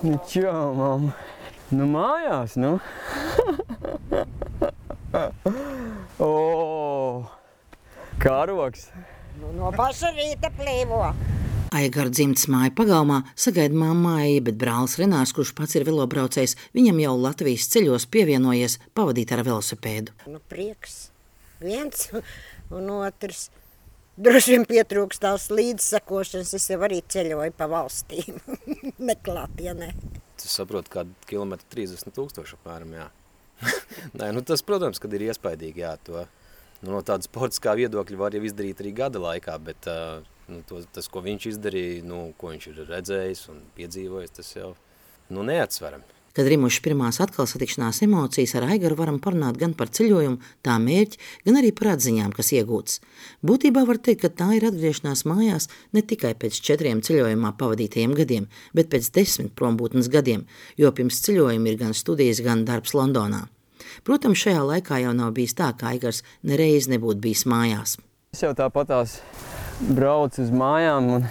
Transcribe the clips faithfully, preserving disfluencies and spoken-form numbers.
Nu, čau, mamma. Nu, mājās, nu. O, karoks. Nu, no paša rīta plīvo. Aigara dzimtas māja pagalmā sagaida mamma Eja, bet brālis Renārs, kurš pats ir velobraucējs, viņam jau Latvijas ceļos pievienojies pavadīt ar velosipēdu. Nu, prieks viens un otrs. Droši vien pietrūkst tās līdzsakošanas, es jau arī ceļoju pa valstīm. Neklātienē. Tu saproti, kādu kilometru trīsdesmit tūkstoši apmēram, jā. Nē, nu tas, protams, kad ir iespaidīgi, jā, to. Nu, no tāda sportiskā viedokļa var jau izdarīt arī gada laikā, bet uh, nu, to, tas, ko viņš izdarīja, nu, ko viņš ir redzējis un piedzīvojis, tas jau nu, neatsveram. Kad rimuši pirmās atkal satikšanās emocijas, ar Aigaru varam parunāt gan par ceļojumu, tā mērķi, gan arī par atziņām, kas iegūtas. Būtībā var teikt, ka tā ir atgriešanās mājās ne tikai pēc četriem ceļojumā pavadītajiem gadiem, bet pēc desmit prombūtnes gadiem, jo pirms ceļojuma ir gan studijas, gan darbs Londonā. Protams, šajā laikā jau nav bijis tā, ka Aigars nereiz nebūtu bijis mājās. Es jau tāpatās braucu uz mājām un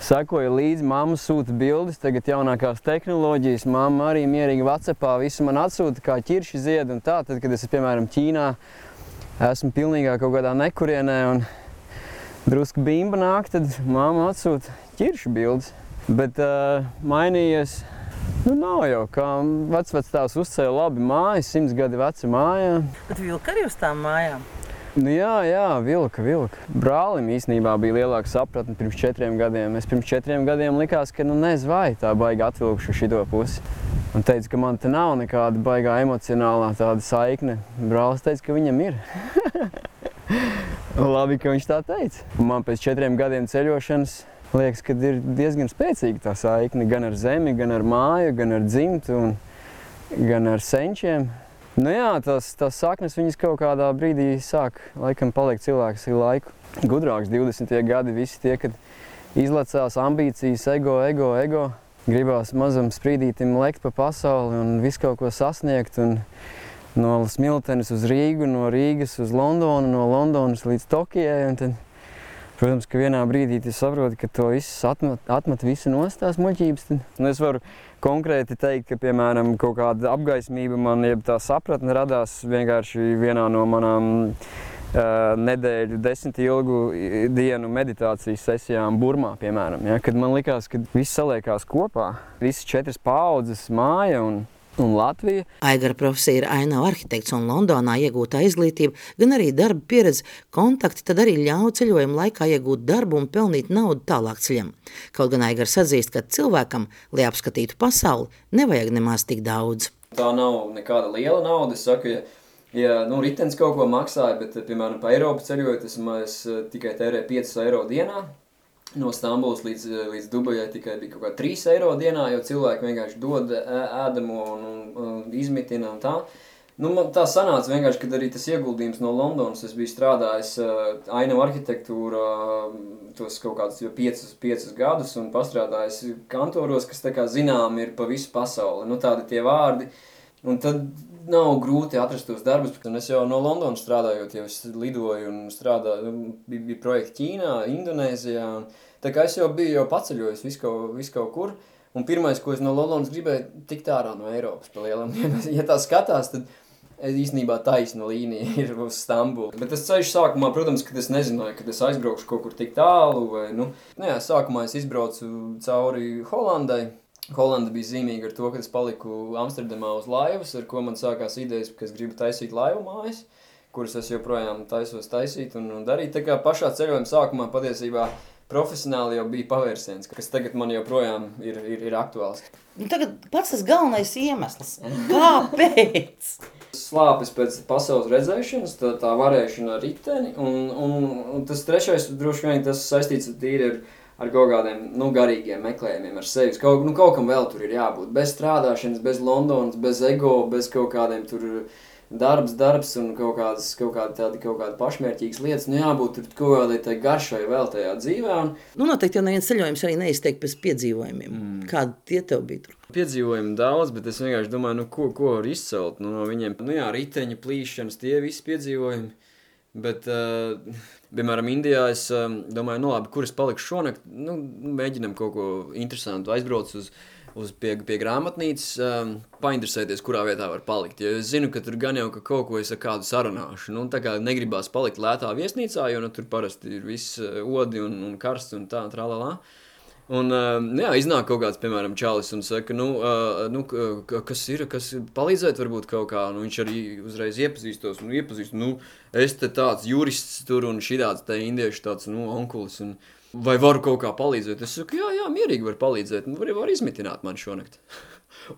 sekoju līdzi, mamma sūta bildes, tagad jaunākās tehnoloģijas, mamma arī mierīgi WhatsAppā visu man atsūta, kā ķirši zied un tā, tad, kad es, piemēram, Ķīnā esmu pilnīgā kaut kādā nekurienē un drusku bimba nāk, tad mamma atsūta ķirši bildes. Bet uh, mainījies, nu nav jau, kā vecvectāvs uzcēla labi mājas, simts gadi veca mājā. Bet vilka arī uz tām mājām? Nu jā, jā, vilka, vilka. Brālim īstenībā bija lielāka sapratne pirms četriem gadiem. Es pirms četriem gadiem likās, ka nu nezinu vai tā baigi atvilkšu šito pusi. Un teica, ka man te nav nekāda baigā emocionālā tāda saikne. Brālis teica, ka viņam ir. Labi, ka viņš tā teica. Un man pēc četriem gadiem ceļošanas liekas, ka ir diezgan spēcīga tā saikne. Gan ar zemi, gan ar māju, gan ar dzimtu un gan ar senčiem. Nu jā, tās, tās saknes viņas kaut kādā brīdī sāk, laikam, paliek cilvēks ir laiku. Gudrāks divdesmitie gadi visi tie, kad izlecās ambīcijas, ego, ego, ego. Gribās mazam sprīdītim lekt pa pasauli un visu kaut ko sasniegt. Un no Smiltenes uz Rīgu, no Rīgas uz Londonu, no Londonas līdz Tokijai. Un tad, protams, ka vienā brīdī tu saproti, ka to visu atmet, atmet visu nost tās muļķības. Tad. Un es varu konkrēti teikt, ka, piemēram, kaut kāda apgaismība man, jeb tā sapratne radās vienkārši vienā no manām uh, nedēļu desmit ilgu dienu meditācijas sesijām Burmā, piemēram. Ja? Kad man likās, ka viss saliekās kopā, visas četras paaudzes māja un un Latvija. Aigara profesija ir ainava arhitekts un Londonā iegūtā izglītība, gan arī darba pieredze, kontakti tad arī ļauj ceļojuma laikā iegūt darbu un pelnīt naudu tālāk ceļam. Kaut gan Aigars atzīst, ka cilvēkam, lai apskatītu pasauli, nevajag nemaz tik daudz. Tā nav nekāda liela nauda. Es saku, ja, ja nu, ritenis kaut ko maksāja, bet, piemēram, pa Eiropu ceļojot, es, es tikai tērēju piecus eiro dienā. No Stambulas līdz, līdz Dubajai tikai bija kaut kā trīs eiro dienā, jo cilvēki vienkārši dod ēdamo un, un, un izmitina un tā. Nu, man tā sanāca vienkārši, kad arī tas ieguldījums no Londonas, es biju strādājis uh, ainavu arhitektūrā uh, tos kaut kādus jau piecus, piecus gadus un pastrādājis kantoros, kas tā kā zinām ir pa visu pasauli. Nu, tādi tie vārdi. Un tad nav grūti atrast tos darbus. Un es jau no Londonas strādājot, jau es lidoju un strādāju, bija, bija projekti Ķīnā, Indonēzijā. Un, tā kā es jau biju jau paceļojis visu kaut, visu kaut kur. Un pirmais, ko es no Londonas gribēju, tikt ārā no Eiropas pa lielam. Ja tā skatās, tad īstenībā taisna līnija ir uz Stambulu. Bet tas ceļš sākumā, protams, kad es nezināju, kad es aizbraukšu kaut kur tik tālu. Vai, nu, nu jā, sākumā es izbraucu cauri Holandai. Holanda bija zīmīga ar to, ka es paliku Amsterdamā uz laivas, ar ko man sākās idejas, ka es gribu taisīt laivu mājas, kuras es joprojām taisos taisīt un, un darīt. Tā kā pašā ceļojuma sākumā patiesībā profesionāli jau bija pavērsiens, kas tagad man joprojām ir, ir, ir aktuāls. Nu, tagad pats tas galvenais iemesls. Kāpēc? Slāpes pēc pasaules redzēšanas, tā, tā varēšana ar riteni, un, un, un tas trešais droši vien tas saistīts tīri ar ar kaut kādiem, nu, garīgiem meklējumiem ar sevis. Kaut, nu, kaut kam vēl tur ir jābūt. Bez strādāšanas, bez Londonas, bez ego, bez kaut kādiem tur darbs, darbs un kaut kādas, kaut kādi tādi, kaut kādi pašmērķīgas lietas. Nu, jābūt tur kaut kādai tai garšai vēl tajā dzīvē. Un... Nu, noteikti jau neviens ceļojums arī neizteik pēc piedzīvojumiem. Mm. Kādi tie tev bija tur? Piedzīvojumi daudz, bet es vienkārši domāju, nu, ko, ko var izcelt nu, no viņiem. Nu jā, riteņa, plīšanas, tie visi piedzīvojumi. Bet, uh, piemēram, Indijā es uh, domāju, nu labi, kur es palikšu šonakt, nu, mēģinam kaut ko interesantu, aizbrauc uz uz pie, pie grāmatnīcas, um, painteresēties, kurā vietā var palikt. Jo es zinu, ka tur gan jau ka kaut ko es ar kādu sarunāšu. Nu, tā kā negribās palikt lētā viesnīcā, jo nu, tur parasti ir viss odi un, un karsts un tā, tralalā. Un, uh, jā, iznāk kaut kāds, piemēram, čalis un saka, nu, uh, nu kas ir, kas palīdzēt varbūt kaut kā, nu, viņš arī uzreiz iepazīstos un iepazīst, nu, es te tāds jurists tur un šitāds te indiešu tāds, nu, onkulis un vai varu kaut kā palīdzēt? Es saku, jā, jā, mierīgi var palīdzēt, nu, var, var izmitināt man šonakt.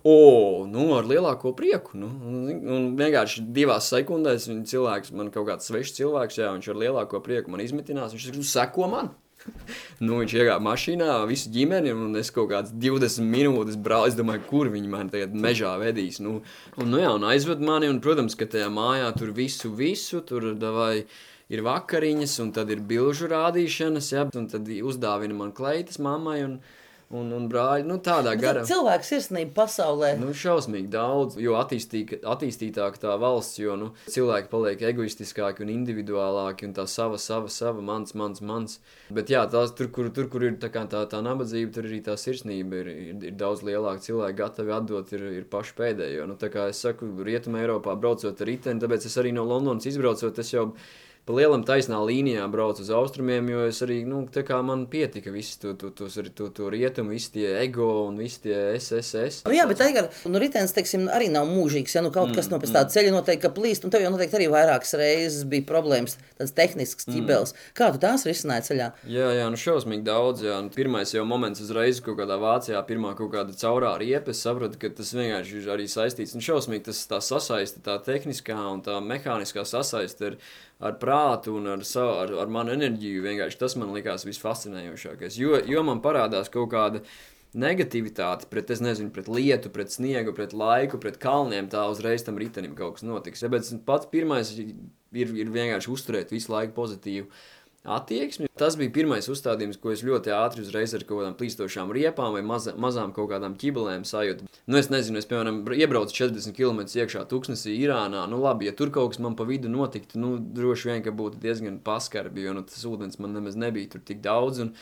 O, nu, ar lielāko prieku, nu, un, un vienkārši divās sekundēs viņa cilvēks, man kaut kāds svešs cilvēks, jā, viņš ar lielāko prieku man izmitinās, viņš saka, nu, seko man. Nu, viņš iegāja mašīnā, visu ģimeni, un es kaut kāds divdesmit minūtes braucu, es domāju, kur viņi mani tagad mežā vedīs, nu, un, nu jā, un aizved mani, un, protams, ka tajā mājā tur visu, visu, tur davai ir vakariņas, un tad ir bilžu rādīšanas, ja, un tad uzdāvina man kleitas mammai, un, un, un brāļi, nu, tādā garā. Cilvēku sirsnība pasaulē. Nu, šausmīgi daudz, jo attīstī, attīstītāk tā valsts, jo, nu, cilvēki paliek egoistiskāki un individuālāki, un tā sava, sava, sava, mans, mans, mans. Bet jā, tās, tur, kur, tur, kur ir tā, kā tā, tā nabadzība, tur arī tā sirsnība ir, ir, ir daudz lielāka. Cilvēki gatavi atdot ir, ir paši pēdējo. Nu, tā kā es saku, Rietuma Eiropā braucot ar riteni, tāpēc es arī no Londonas izbraucot, es jau pa lielam taisnā līnijā braucu uz austrumiem, jo es arī, nu, tā kā man pietika visi to, to, to, to, to rietumu, visi tie ego un visi tie S S S. Nu, jā, bet Aigar, nu, ritenis, teiksim, arī nav mūžīgs, ja nu kaut kas mm, no pēc tāda ceļa noteikti, ka plīst, un tev jau noteikti arī vairākas reizes bija problēmas, tāds tehnisks ķibels. Mm. Kā tu tās risināji ceļā? Jā, jā, nu šausmīgi daudz, jā. Pirmais jau moments uzreiz kaut kādā Vācijā, pirmā kaut kāda caurā riepa, es sapratu, ka tas vienkārši ir arī saistīts, un šausmīgi tas tā sasaiste, tā tehniskā un tā mehāniskā sasaiste ir ar prātu un ar, savu, ar, ar manu enerģiju, vienkārši tas man likās visfascinējošākais, jo, jo man parādās kaut kāda negativitāte pret, es nezinu, pret lietu, pret sniegu, pret laiku, pret kalniem, tā uzreiz tam ritenim kaut kas notiks. Ja, bet pats pirmais ir, ir vienkārši uzturēt visu laiku pozitīvu attieksmi. Tas bija pirmais uzstādījums, ko es ļoti ātri uzreiz ar kaut kādām plīstošām riepām vai maza, mazām kaut kādām ķibelēm sajūtu. Nu, es nezinu, es, piemēram, iebraucu četrdesmit kilometrus iekšā Tuksnesī, Irānā. Nu, labi, ja tur kaut kas man pa vidu notiktu, nu, droši vien, ka būtu diezgan paskarbi, jo nu, tas ūdens man nemaz nebija tur tik daudz. Un,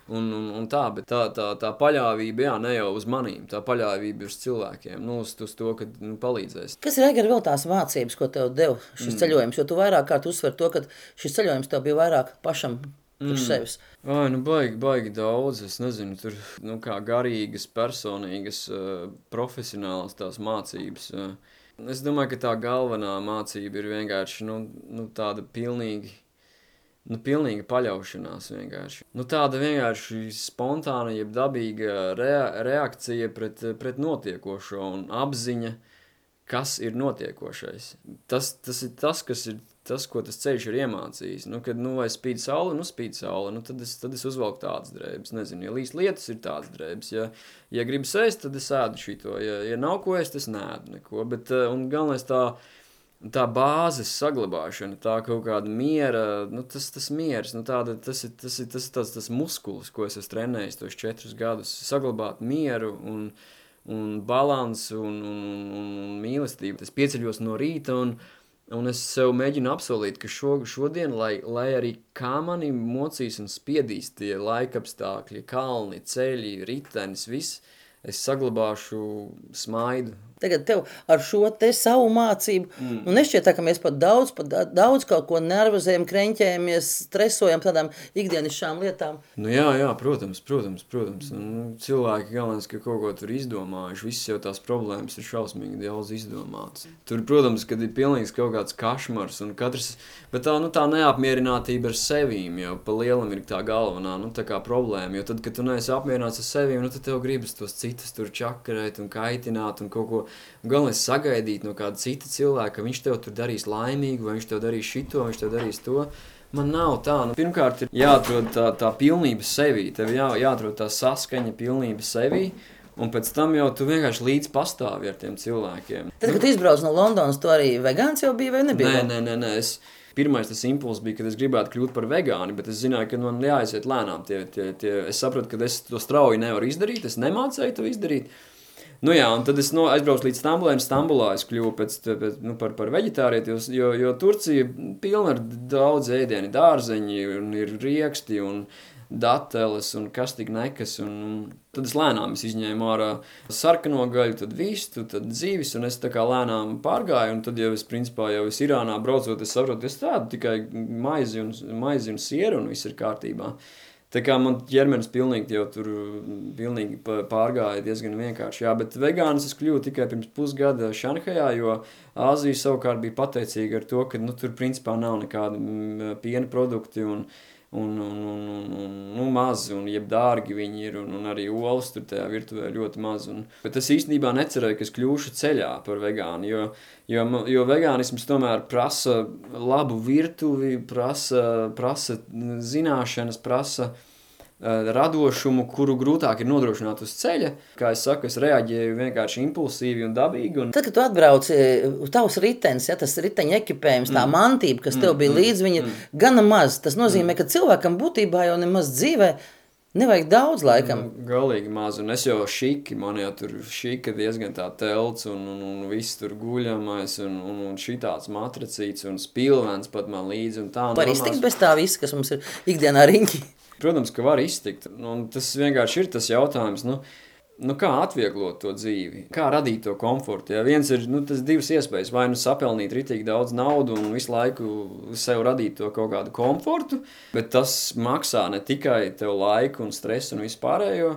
Un, un, un tā, bet tā, tā, tā paļāvība, jā, ne jau uz manīm, tā paļāvība uz cilvēkiem, nu, uz, uz to, ka nu, palīdzēs. Kas ir, Aigar, vēl tās mācības, ko tev deva šis mm. ceļojums? Jo tu vairāk kārt uzsver to, ka šis ceļojums tev bija vairāk pašam priekš mm. sevis. Ai, nu, baigi, baigi daudz, es nezinu, tur, nu, kā garīgas, personīgas, uh, profesionālas tās mācības. Uh, es domāju, ka tā galvenā mācība ir vienkārši, nu, nu tāda pilnīgi, Nu, pilnīga paļaušanās vienkārši. Nu, tāda vienkārši spontāna, jeb dabīga rea reakcija pret, pret notiekošo un apziņa, kas ir notiekošais. Tas, tas ir tas, kas ir tas, ko tas ceļš ir iemācījis. Nu, kad, nu, vai spīd saule, nu, spīd saule, nu, tad es, tad es uzvelku tādas drēbes. Nezinu, ja līdz lietas ir tādas drēbes. Ja, ja gribu sēst, tad es ēdu šito. Ja, ja nav ko ēst, es neēdu neko. Bet, un galvenais tā, tā bāzes saglabāšana, tā kaut kāda miera, nu tas, tas miers, nu tāda, tas ir, tas ir tas, tas, tas muskulis, ko es esmu trenējis tos četrus gadus, saglabāt mieru un, un balansu un, un, un, un mīlestību. Es pieceļos no rīta un, un es sev mēģinu apsolīt, ka šo, šodien, lai, lai arī kā mani mocīs un spiedīs tie laikapstākļi, kalni, ceļi, ritenis, viss, es saglabāšu smaidu. Tagad tev ar šo te savu mācību, mm. nu nešķiet tā, ka mēs pat daudz, pat daudz kaut ko nervozējam, kreņķējamies, stresojam tādām ikdienišķām lietām. Nu jā, jā, protams, protams, protams. Nu, cilvēki galvenais, ka kaut ko tur izdomājuši, visas jau tās problēmas ir šausmīgi daudz izdomātas. Tur, protams, kad ir pilnīgs kaut kāds kašmars un katrs, bet tā, nu, tā neapmierinātība ar sevīm jau pa lielam ir tā galvenā, nu, tā kā problēma, jo tad, kad tu neesi apmierināts ar sevīm, nu, tad tev gribas tos citus tur čakarēt un kaitināt un kaut ko. Galvenais sagaidīt no kāda cita cilvēka, ka viņš tev tur darīs laimīgu, vai viņš tev darīs šito, vai viņš tev darīs to. Man nav tā. Nu, pirmkārt, ir jāatrod tā, tā pilnība sevī. Tev jā, jāatrod tā saskaņa pilnība sevī, un pēc tam jau tu vienkārši līdz pastāvi ar tiem cilvēkiem. Tad, kad tu izbrauc no Londonas, tu arī vegāns jau bija vai nebija? Nē, nē, nē, nē. Es, pirmais tas impulss bija, kad es gribētu kļūt par vegāni, bet es zināju, ka man jāaiziet lēnām. Tie, tie, tie. Es sapratu, ka es to strauji nevaru izdarīt, es nemācēju to izdarīt. Nu jā, un tad es no, aizbraucu līdz Stambulai, un Stambulā es kļuvu pēc, pēc, nu, par, par veģetārieti, jo, jo Turcija pilna ar daudz ēdieni, dārzeņi, un ir rieksti, un dateles un kas tik nekas. Un, un tad es lēnām es izņēmu ārā sarkano gaļu, tad vistu, tad dzīvis, un es tā kā lēnām pārgāju, un tad jau es, principā, jau es Irānā braucot, es saprotu, es tādu tikai maizi un, maizi un sieru, un viss ir kārtībā. Tā kā man ķermenis pilnīgi jau tur pilnīgi pārgāja diezgan vienkārši. Jā, bet vegāns es kļuvu tikai pirms pusgada Šanhajā, jo Āzija savukārt bija pateicīga ar to, ka nu, tur principā nav nekādi piena produkti un, un, un, un, un, un nu, mazi un jeb dārgi viņi ir un, un arī olas tur tajā virtuvē ļoti maz. Un, bet es īstenībā necerēju, ka es kļūšu ceļā par vegānu, jo, jo, jo vegānisms tomēr prasa labu virtuvi, prasa, prasa zināšanas, prasa radošumu, kuru grūtāk ir nodrošināt uz ceļa. Kā es saku, es reaģēju vienkārši impulsīvi un dabīgi. Un... Tad, kad tu atbrauci, tavs ritenis, ja, tas riteņa ekipējums, tā mm. mantība, kas tev bija mm. līdz, viņa mm. gana maz. Tas nozīmē, ka cilvēkam būtībā jau nemaz dzīvē nevajag daudz laikam. Galīgi maz, un es jau šiki, man jau tur šika diezgan tā telts, un, un, un viss tur guļamais, un, un, un šitāds matracīts, un spilvens pat man līdzi, un tā. Var iztikt bez tā visa, kas mums ir ikdienā riņķi? Protams, ka var iztikt, un tas vienkārši ir tas jautājums, nu, nu kā atvieglot to dzīvi, kā radīt to komfortu. Ja viens ir, nu, tas divas iespējas, vai nu sapelnīt ritīgi daudz naudu un visu laiku sev radīt to kaut kādu komfortu, bet tas maksā ne tikai tev laiku un stresu un vispārējo,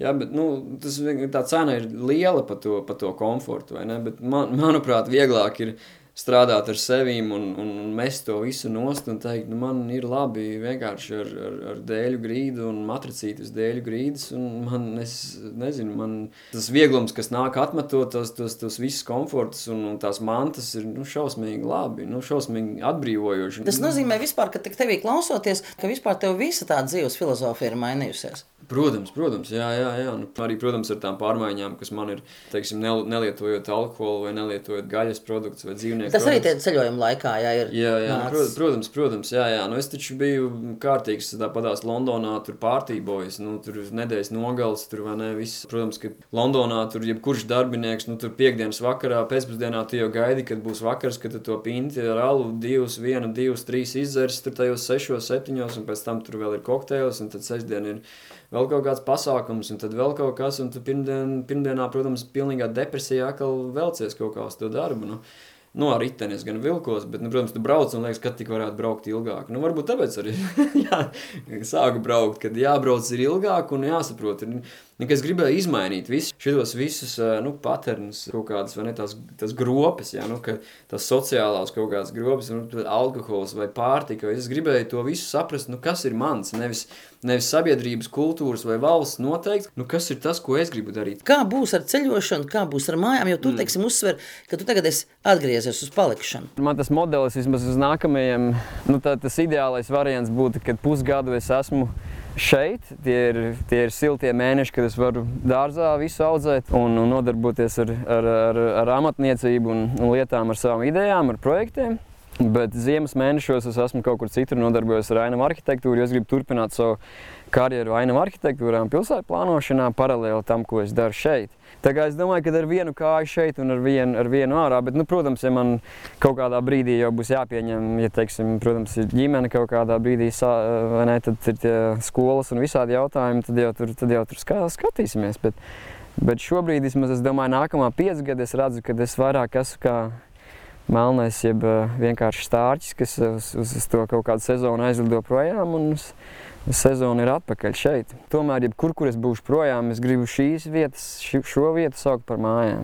ja, bet, nu, tas, tā cena ir liela pa to, pa to komfortu, vai ne, bet man, manuprāt, vieglāk ir strādāt ar sevīm un, un mest to visu nost un teikt, nu man ir labi vienkārši ar, ar, ar dēļu grīdu un matracītas dēļu grīdas un man, es nezinu, man tas vieglums, kas nāk atmetot tos, tos, tos visus komfortus un, un tās mantas ir, nu, šausmīgi labi, nu, šausmīgi atbrīvojoši. Tas nozīmē vispār, ka tevī klausoties, ka vispār tev visa tā dzīves filozofija ir mainījusies. Protams, protams, jā, jā, jā. Un arī, protams, ar tām pārmaiņām, kas man ir, teiksim, nelietojot alkoholu vai nelietojot gaļas produktus vai dzīvnieku Tas produktus. arī tie ceļojuma laikā, jā, ir Jā, jā, nācis. protams, protams, jā, jā. Nu, es taču biju kārtīgs tāpadās Londonā, tur pārtībojas, nu, tur nedēļas nogals, tur vai ne, viss. Protams, ka Londonā tur jebkurš darbinieks, nu, tur piekdienas vakarā, pēcpusdienā tu jau gaidi, kad būs vakars, kad tu to pinti ar alu divus, vienu, divus, trīs izdzers, tur tajos sešos, septiņos, un pēc tam tur vēl ir kokteils, un tad sestdien ir vēl kaut kāds pasākums, un tad vēl kaut kas, un tu pirmdien, pirmdienā, protams, pilnīgā depresijā atkal velcies kaut kā uz to darbu, nu. Nu, ar riteni es gan vilkos, bet, nu, protams, tu brauc un liekas, kad tik varētu braukt ilgāk. Nu, varbūt tāpēc arī jā, sāku braukt, kad jābrauc ir ilgāk un jāsaprot. Ir, es gribēju izmainīt visu, šitos visus, nu, paternus, kaut kādas, vai ne, tās, tās gropes, jā, nu, ka tās sociālās kaut kādas gropes, nu, alkohols vai pārtika. Es gribēju to visu saprast, nu, kas ir mans, nevis, nevis sabiedrības, kultūras vai valsts noteikti, nu, kas ir tas, ko es gribu darīt. Kā būs ar ceļošanu, kā būs ar mājām, jo tu, mm. teiksim, uzsver, ka tu tagad esi atgriezies uz palikšanu. Man tas modelis vismaz uz nākamajiem, nu, tā, tas ideālais variants būtu, kad pusgadu es esmu šeit, tie ir, tie ir siltie mēneši, kad es varu dārzā visu audzēt un, un nodarboties ar, ar, ar, ar amatniecību un, un lietām, ar savām idejām, ar projektiem. Bet ziemas mēnešos es esmu kaut kur citur nodarbojos ar ainavu arhitektūru, jo es gribu turpināt savu karjeru ainavu arhitektūrā un pilsētu plānošanā paralēli tam, ko es daru šeit. Tā kā es domāju, ka ar vienu kāju šeit un ar vienu, ar vienu ārā, bet, nu, protams, ja man kaut kādā brīdī jau būs jāpieņem, ja, teiksim, protams, ir ģimene kaut kādā brīdī, vai ne, tad ir tie skolas un visādi jautājumi, tad jau tur, tad jau tur skatīsimies. Bet, bet šobrīd, vismaz, es domāju, nākamā pieci gadi es redzu, ka es vairāk esmu kā melnais, jeb vienkārši stārķis, kas uz, uz, uz to kaut kādu sezonu aizlido projām un uz, uz sezonu ir atpakaļ šeit. Tomēr, jebkur, kur es būšu projām, es gribu šīs vietas, šo vietu saukt par mājām.